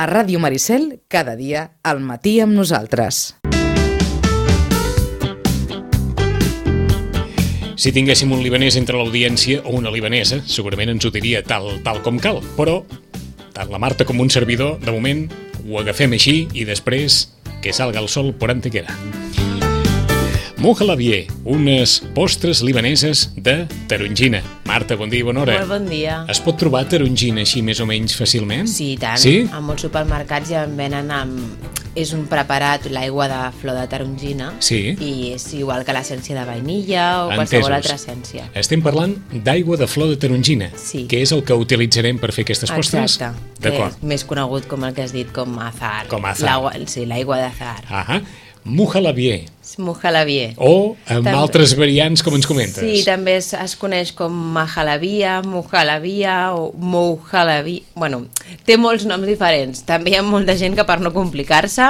A Ràdio Maricel, cada dia, al matí amb nosaltres. Si tinguéssim un libanès entre l'audiència o una libanesa, segurament ens ho diria tal com cal. Però tant la Marta com un servidor, de moment, ho agafem així i després que salga el sol por antequera. Muhalabieh, unes postres libaneses de tarongina. Marta, bon dia i bona hora. Molt bon dia. Es pot trobar tarongina així més o menys fàcilment? Sí, i tant. Sí? A molts supermercats ja en venen és un preparat, l'aigua de flor de tarongina. Sí. I és igual que l'essència de vainilla o qualsevol altra essència. Estem parlant d'aigua de flor de tarongina, sí, que és el que utilitzarem per fer aquestes postres? Exacte. D'acord. Més conegut com el que has dit, com azar. Com azar. Sí, l'aigua d'azar. Ahà. Muhalabieh. Muhalabieh. O amb altres variants, com ens comentes. Sí, també es coneix com mahalabia, muhalabia o mouhalabia. Bueno, té molts noms diferents. També hi ha molta gent que, per no complicar-se,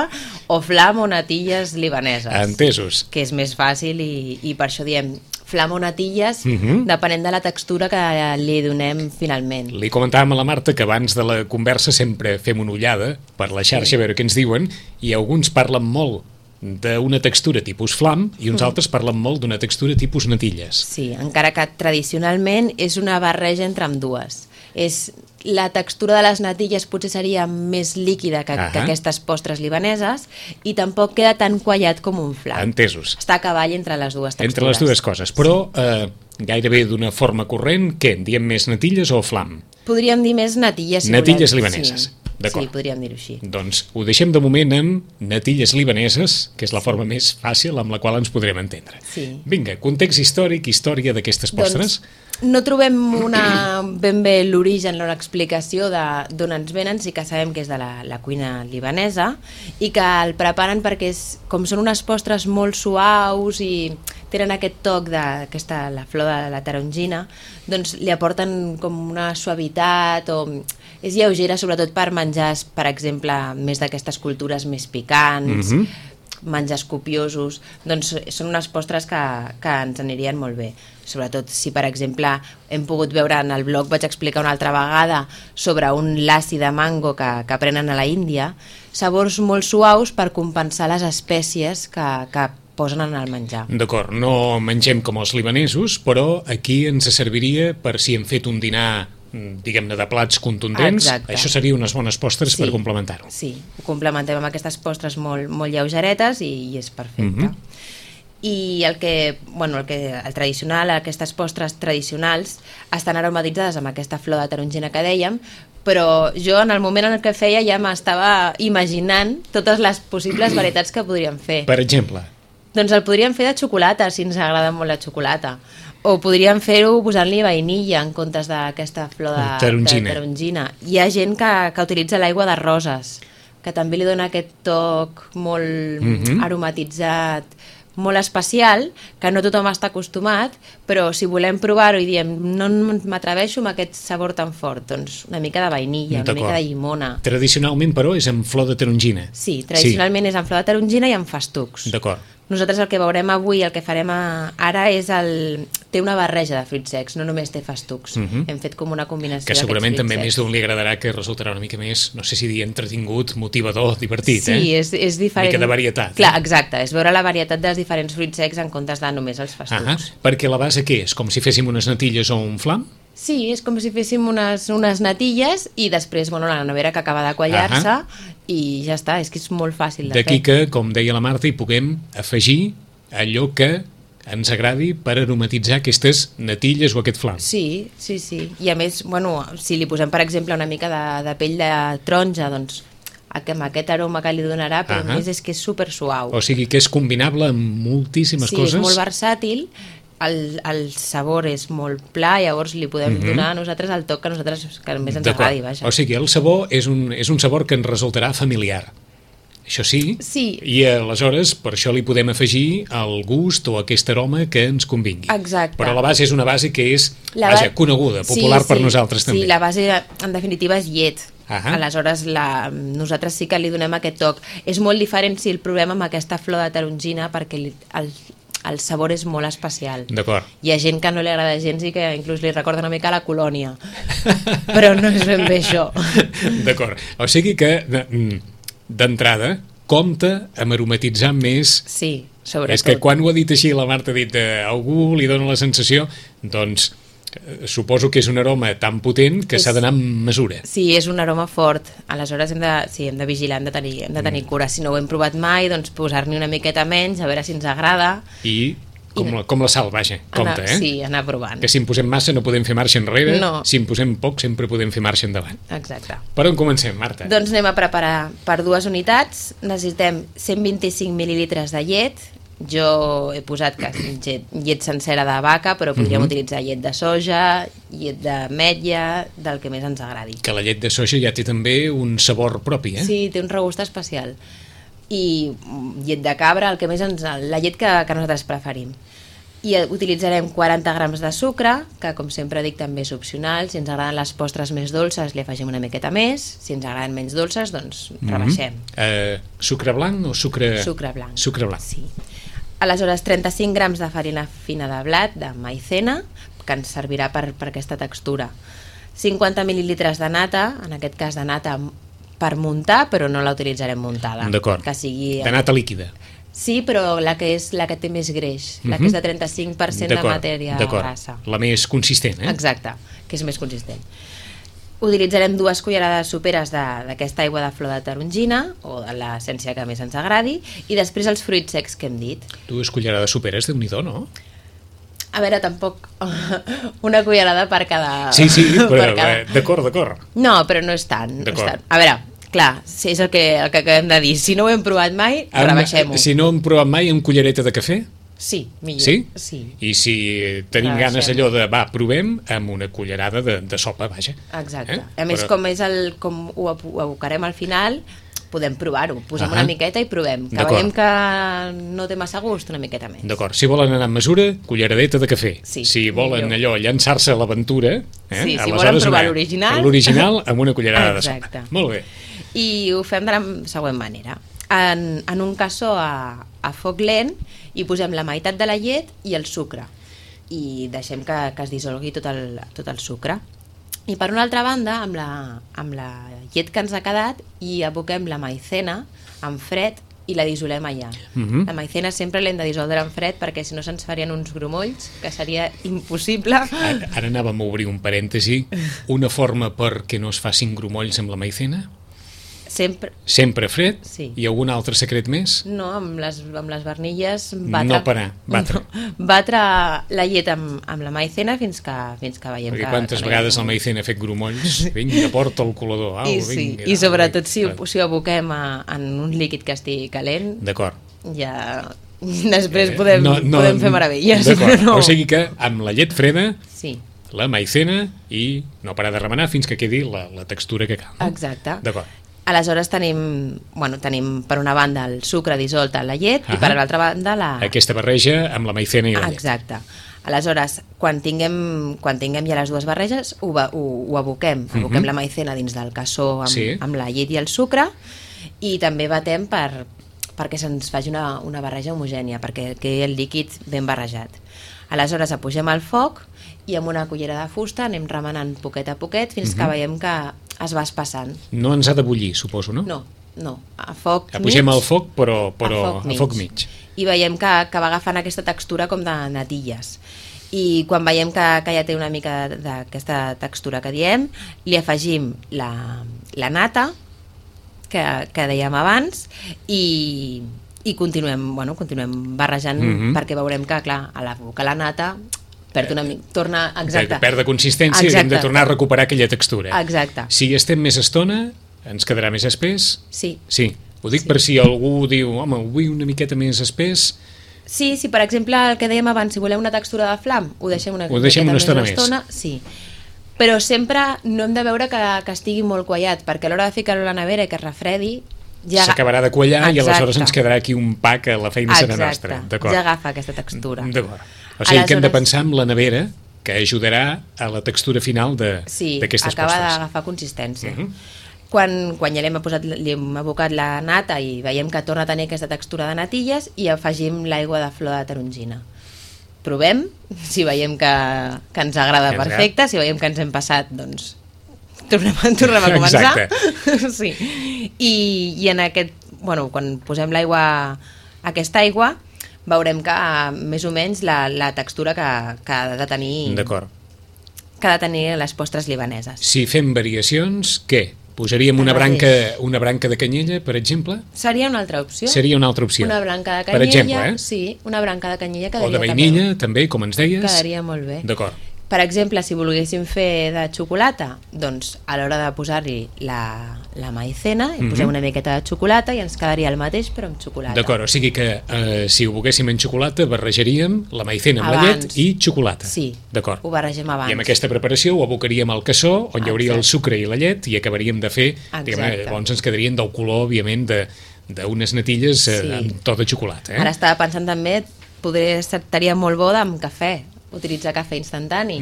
o flam o natilles libaneses. Entesos. Que és més fàcil i per això diem flam o natilles, depenent de la textura que li donem finalment. Li comentàvem a la Marta que abans de la conversa sempre fem una ullada per la xarxa a veure què ens diuen, i alguns parlen molt d'una textura tipus flam i uns altres parlen molt d'una textura tipus natilles. Sí, encara que tradicionalment és una barreja entre ambdues. La textura de les natilles potser seria més líquida que aquestes postres libaneses i tampoc queda tan quallat com un flam. Entesos. Està a cavall entre les dues textures. Entre les dues coses, però gairebé d'una forma corrent, què? En diem més natilles o flam? Podríem dir més natilles. Natilles libaneses. Sí. D'acord. Sí, podríem dir-ho així. Doncs ho deixem de moment amb natilles libaneses, que és la forma més fàcil amb la qual ens podrem entendre. Sí. Vinga, context històric, història d'aquestes postres. Doncs no trobem ben bé l'origen o l'explicació d'on ens venen, sí que sabem que és de la cuina libanesa i que el preparen perquè com són unes postres molt suaus i tenen aquest toc la flor de la tarongina, doncs li aporten com una suavitat o és lleugera, sobretot per menjars, per exemple, més d'aquestes cultures més picants, menjars copiosos, doncs són unes postres que ens anirien molt bé. Sobretot si, per exemple, hem pogut veure en el blog, vaig explicar una altra vegada sobre un lassi de mango que prenen a la Índia, sabors molt suaus per compensar les espècies que posen en el menjar. D'acord, no mengem com els libanesos, però aquí ens serviria per si hem fet un dinar, diguem-ne, de plats contundents. Exacte. Això seria unes bones postres per complementar-ho. Sí, ho complementem amb aquestes postres molt lleugeretes i és perfecte. I el tradicional, aquestes postres tradicionals estan aromatitzades amb aquesta flor de tarongina que dèiem, però jo en el moment en què feia ja m'estava imaginant totes les possibles varietats que podríem fer. Per exemple? Doncs el podríem fer de xocolata, si ens agrada molt la xocolata. O podríem fer-ho posant-li vainilla en comptes d'aquesta flor de tarongina. Hi ha gent que utilitza l'aigua de roses, que també li dona aquest toc molt aromatitzat, molt especial, que no tothom està acostumat, però si volem provar-ho i diem no m'atreveixo amb aquest sabor tan fort, doncs una mica de vainilla, una mica de llimona. Tradicionalment, però, és amb flor de tarongina. Sí, tradicionalment és amb flor de tarongina i amb festucs. D'acord. Nosaltres el que veurem avui, el que farem ara és té una barreja de fruits secs, no només té festucs. Hem fet com una combinació que segurament també secs. Més d'un li agradarà, que resultarà una mica més, no sé si dir entretingut, motivador, divertit, Sí, és diferent. Una mica de varietat. Clar, exacte, és veure la varietat dels diferents fruits secs en comptes de només els festucs. Perquè la base què és? Com si féssim unes natilles o un flam? Sí, és com si féssim unes natilles i després la nevera que acaba de quallar-se i ja està, és que és molt fàcil de fer. D'aquí que, com deia la Marta, hi puguem afegir allò que ens agradi per aromatitzar aquestes natilles o aquest flam. Sí. I a més, si li posem, per exemple, una mica de pell de taronja, doncs amb aquest aroma que li donarà, però a més és que és super suau. O sigui que és combinable amb moltíssimes coses. Sí, és molt versàtil. El sabor és molt pla, llavors li podem donar a nosaltres el toc que més ens agradi. Vaja. O sigui, el sabor és un sabor que ens resultarà familiar. Això sí, i aleshores per això li podem afegir el gust o aquest aroma que ens convingui. Exacte. Però la base és una base que és coneguda, popular per nosaltres també. Sí, la base en definitiva és llet. Aleshores nosaltres sí que li donem aquest toc. És molt diferent si el provem amb aquesta flor de tarongina perquè el sabor és molt especial. D'acord. Hi ha gent que no li agrada gens i que inclús li recorda una mica la colònia. Però no és ben bé això. D'acord. O sigui que, d'entrada, compta amb aromatitzar més. Sí, sobretot. És que quan ho ha dit així, la Marta ha dit algú li dona la sensació, doncs suposo que és un aroma tan potent que s'ha d'anar amb mesura. Sí, és un aroma fort. Aleshores hem de vigilar, hem de tenir cura. Si no ho hem provat mai, doncs posar-n'hi una miqueta menys, a veure si ens agrada. I com la sal, vaja, compte, Sí, anar provant. Que si en posem massa no podem fer marxa enrere, no. Si en posem poc sempre podem fer marxa endavant. Exacte. Per on comencem, Marta? Doncs anem a preparar per 2 unitats. Necessitem 125 mil·lilitres de llet. Jo he posat llet sencera de vaca, però podríem utilitzar llet de soja, llet d'ametlla, del que més ens agradi. Que la llet de soja ja té també un sabor propi, eh? Sí, té un regust especial. I llet de cabra, el que més la llet que nosaltres preferim. I utilitzarem 40 grams de sucre, que com sempre dic també és opcional. Si ens agraden les postres més dolces li afegim una miqueta més, si ens agraden menys dolces doncs rebaixem. Sucre blanc o sucre... Sucre blanc. Sucre blanc. Sí. Aleshores 35 grams de farina fina de blat, de maicena, que ens servirà per aquesta textura. 50 mil·lilitres de nata, en aquest cas de nata per muntar, però no la utilitzarem muntada. D'acord, que sigui... de nata líquida. Sí, però la que té més greix, la que és de 35% de matèria grassa. La més consistent, eh? Exacte, que és més consistent. Utilitzarem 2 cullerades soperes d'aquesta aigua de flor de tarongina, o de l'essència que més ens agradi, i després els fruits secs que hem dit. 2 cullerades soperes, Déu-n'hi-do, no? A veure, tampoc una cullerada per cada... Sí, però d'acord. No, però no és tant. A veure, clar, és el que acabem de dir. Si no ho hem provat mai, rebaixem-ho. Si no hem provat mai, amb cullereta de cafè? Sí, millor. Sí? Sí. I si tenim ganes allò de, provem, amb una cullerada de sopa, vaja. Exacte. A més, com ho abocarem al final, podem provar-ho. Posem una miqueta i provem. Que veiem que no té massa gust, una miqueta més. D'acord. Si volen anar amb mesura, culleradeta de cafè. Sí, si volen allò, llançar-se a l'aventura... Sí, si volen provar l'original... L'original amb una cullerada de sopa. Molt bé. I ho fem de la següent manera. En un cassó a foc lent hi posem la meitat de la llet i el sucre i deixem que es dissolgui tot el sucre. I per una altra banda, amb la llet que ens ha quedat, hi aboquem la maicena en fred i la dissolem allà. La maicena sempre l'hem de dissoldre en fred perquè si no se'ns farien uns grumolls, que seria impossible. Ara anàvem a obrir un parèntesi. Una forma perquè no es facin grumolls amb la maicena? Sempre fred? Sí. I algun altre secret més? No, amb les barnilles batre la llet amb la maicena fins que veiem perquè quantes vegades la maicena ha fet grumolls? Vinga, porta el colador. I sobretot si ho aboquem en un líquid que estigui calent, d'acord, ja després podem fer meravelles. O sigui que amb la llet freda, la maicena i no parar de remenar fins que quedi la textura que cal. Exacte. D'acord. Aleshores tenim per una banda el sucre dissolt en la llet i per l'altra banda aquesta barreja amb la maicena i la llet. Exacte. Aleshores, quan tinguem ja les dues barreges, ho aboquem. Aboquem la maicena dins del cassó amb la llet i el sucre i també batem perquè se'ns faci una barreja homogènia, perquè quedi el líquid ben barrejat. Aleshores, apugem al foc i amb una cullera de fusta anem remenant poquet a poquet fins que veiem que es va espassant. No ens ha de bullir, suposo, no? No, a foc mig. Apugem al foc, però a foc mig. I veiem que va agafant aquesta textura com de natilles. I quan veiem que ja té una mica d'aquesta textura que diem, li afegim la nata, que dèiem abans, i continuem barrejant perquè veurem que, clar, a l'abocar la nata torna... Exacte. Perd de consistència i hem de tornar a recuperar aquella textura. Exacte. Si estem més estona, ens quedarà més espès? Sí. Ho dic per si algú diu, home, ho vull una miqueta més espès. Sí, per exemple, el que dèiem abans, si voleu una textura de flam, ho deixem una estona més. Sí. Però sempre no hem de veure que estigui molt quallat, perquè a l'hora de ficar-lo a la nevera i que es refredi, s'acabarà de quallar i aleshores ens quedarà aquí un pa que la feina serà nostra. Ja agafa aquesta textura. D'acord. O sigui que hem de pensar en la nevera, que ajudarà a la textura final d'aquestes postres. Sí, acaba d'agafar consistència. Quan ja li hem abocat la nata i veiem que torna a tenir aquesta textura de natilles, i afegim l'aigua de flor de tarongina. Provem, si veiem que ens agrada, perfecte, si veiem que ens hem passat, doncs tornem a començar. Exacte. Sí. I en aquest, quan posem aquesta aigua, veurem que més o menys la textura que ha de tenir. D'acord. Que ha de tenir les postres libaneses. Si fem variacions, què? Posaríem una branca de canyella, per exemple? Seria una altra opció. Una branca de canyella, per exemple, sí, una branca de canyella quedaria o de vainilla, també, com ens deies. Quedaria molt bé. D'acord. Per exemple, si volguéssim fer de xocolata, doncs a l'hora de posar-hi la maicena, hi posem una miqueta de xocolata i ens quedaria el mateix, però amb xocolata. D'acord, o sigui que si ho volguéssim en xocolata, barrejaríem la maicena amb la llet i xocolata. Sí, d'acord. Ho barregem abans. I amb aquesta preparació ho abocaríem al cassó, on hi hauria el sucre i la llet, i acabaríem de fer, llavors ens quedarien del color, òbviament, d'unes natilles amb tot de xocolata. Ara estava pensant també, estaria molt bo amb cafè, utilitzar cafè instantani.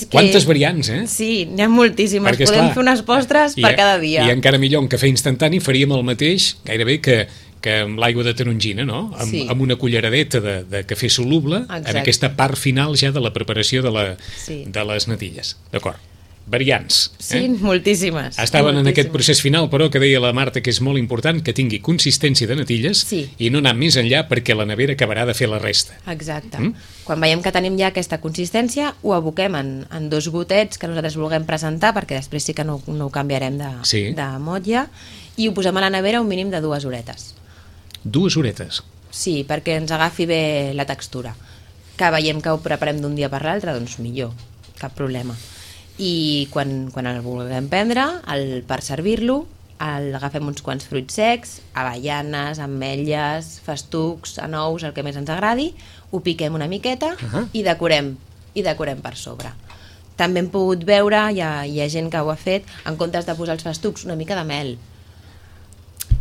Quantes variants, eh? Sí, n'hi ha moltíssimes. Podem fer unes postres per cada dia. I encara millor, un cafè instantani faríem el mateix gairebé que amb l'aigua de tarongina, no? Amb una culleradeta de cafè soluble, en aquesta part final ja de la preparació de les natilles. D'acord. Variants. Sí, moltíssimes. Estaven en aquest procés final, però, que deia la Marta que és molt important que tingui consistència de natilles i no anar més enllà perquè la nevera acabarà de fer la resta. Exacte. Quan veiem que tenim ja aquesta consistència, ho aboquem en 2 gotets que nosaltres vulguem presentar, perquè després sí que no ho canviarem de motlla, i ho posem a la nevera un mínim de 2 horetes. 2 horetes? Sí, perquè ens agafi bé la textura. Que veiem que ho preparem d'un dia per l'altre, doncs millor, cap problema. I quan el vulguem prendre, per servir-lo, agafem uns quants fruits secs, avellanes, ametlles, festucs, anous, el que més ens agradi, ho piquem una miqueta i decorem per sobre. També hem pogut veure, hi ha gent que ho ha fet, en comptes de posar els festucs, una mica de mel,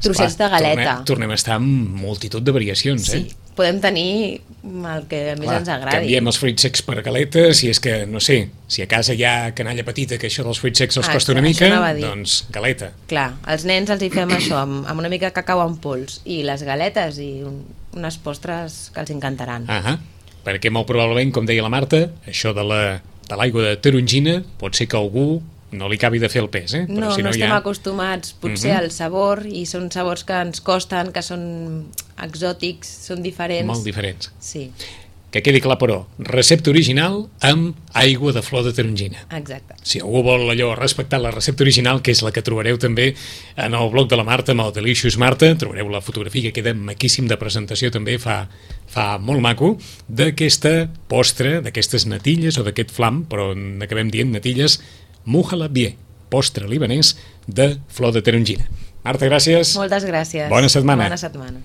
trossets de galeta. Tornem a estar amb multitud de variacions, sí. Podem tenir el que més ens agradi. Canviem els fruits secs per galetes, si és que, no sé, si a casa hi ha canalla petita que això dels fruits secs els costa una mica, doncs galeta. Clar, als nens els hi fem això, amb una mica de cacau en pols, i les galetes i unes postres que els encantaran. Perquè molt probablement, com deia la Marta, això de l'aigua de tarongina pot ser que algú no li acabi de fer el pes, eh? No estem acostumats potser al sabor, i són sabors que ens costen, que són exòtics, són diferents. Molt diferents. Sí. Que quedi clar, però, recepta original amb aigua de flor de tarongina. Exacte. Si algú vol allò respectar la recepta original, que és la que trobareu també en el blog de la Marta, amb el Delicious Marta, trobareu la fotografia que queda maquíssim de presentació, també fa molt maco, d'aquesta postre, d'aquestes natilles o d'aquest flam, però n'acabem dient natilles, Muhalabie, postre libanès de flor de tarongina. Marta, gràcies. Moltes gràcies. Bona setmana. Bona setmana.